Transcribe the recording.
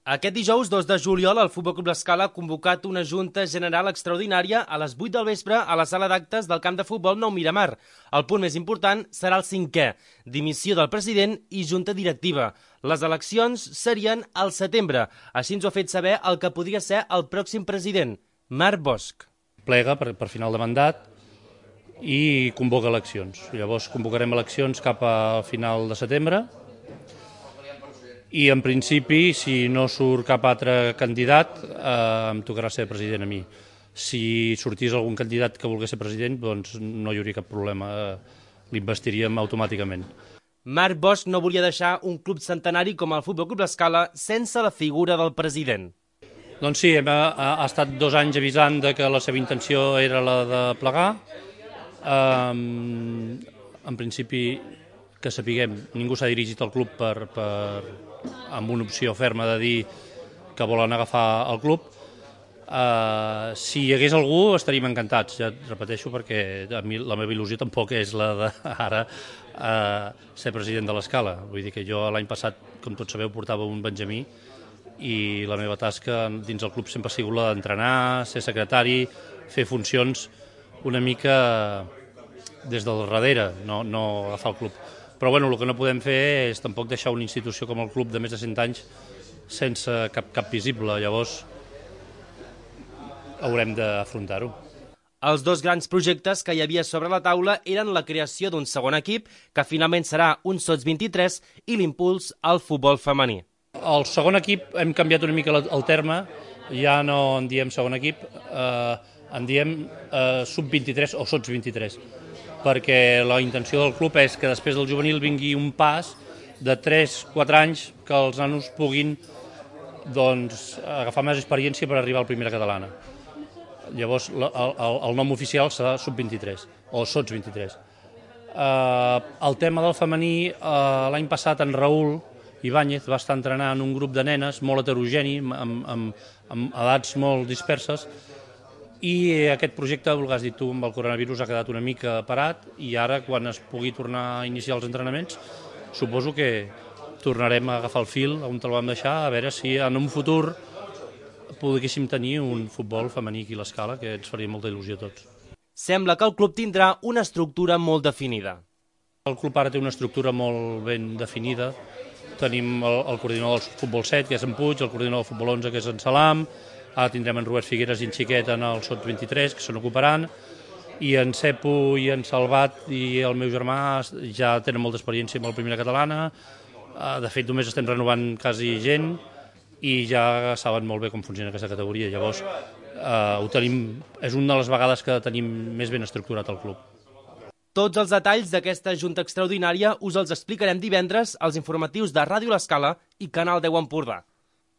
Aquest dijous 2 de juliol el Futbol Club L'Escala ha convocat una Junta General Extraordinària a les 8 del vespre a la sala d'actes del camp de futbol Nou Miramar. El punt més important serà el 5è, dimissió del president i junta directiva. Les eleccions serien al setembre, així ens ho ha fet saber el que podria ser el pròxim president, Marc Bosch. Plega per final de mandat i convoca eleccions. Llavors convocarem eleccions cap a final de setembre i en principi, si no surt cap altre candidat, em tocarà ser president a mi. Si sortís algun candidat que volgués ser president, doncs no hi hauria cap problema, l'investiríem automàticament. Marc Bosch no volia deixar un club centenari com el Futbol Club L'Escala sense la figura del president. Doncs sí, ha estat 2 anys avisant que la seva intenció era la de plegar. En principi, que sapiguem, ningú s'ha dirigit al club amb una opció ferma de dir que volen agafar el club. Si hi hagués algú estaríem encantats, ja et repeteixo, perquè a mi la meva il·lusió tampoc és la d'ara ser president de l'Escala. Vull dir que jo l'any passat, com tots sabeu, portava un benjamí i la meva tasca dins el club sempre ha sigut la d'entrenar, ser secretari, fer funcions una mica des del darrere, no agafar el club. Però bueno, el que no podem fer és tampoc deixar una institució com el club de més de 100 anys sense cap visible, llavors haurem d'afrontar-ho. Els 2 grans projectes que hi havia sobre la taula eren la creació d'un segon equip, que finalment serà un Sots 23, i l'impuls al futbol femení. El segon equip hem canviat una mica el terme, ja no en diem segon equip, en diem sub-23 o Sots 23, perquè la intenció del club és que després del juvenil vingui un pas de 3-4 anys que els nanos puguin agafar més experiència per arribar a la primera catalana. Llavors el nom oficial serà sub-23 o Sots 23. El tema del femení, l'any passat en Raül Ibáñez va estar entrenant un grup de nenes molt heterogeni, amb edats molt disperses, i aquest projecte, el que has dit tu, amb el coronavirus ha quedat una mica parat i ara, quan es pugui tornar a iniciar els entrenaments, suposo que tornarem a agafar el fil on el vam deixar, a veure si en un futur poguéssim tenir un futbol femení aquí a l'Escala, que ens faria molta il·lusió a tots. Sembla que el club tindrà una estructura molt definida. El club ara té una estructura molt ben definida. Tenim el coordinador del futbol 7, que és en Puig, el coordinador del futbol 11, que és en Salam, ara tindrem en Robert Figueres i en Xiquet en el Sots 23, que se n'ocuparan, i en Cepo i en Salvat i el meu germà ja tenen molta experiència amb la primera catalana. De fet, només estem renovant quasi gent i ja saben molt bé com funciona aquesta categoria. Llavors, és una de les vegades que tenim més ben estructurat el club. Tots els detalls d'aquesta junta extraordinària us els explicarem divendres als informatius de Ràdio L'Escala i Canal 10 Empordà.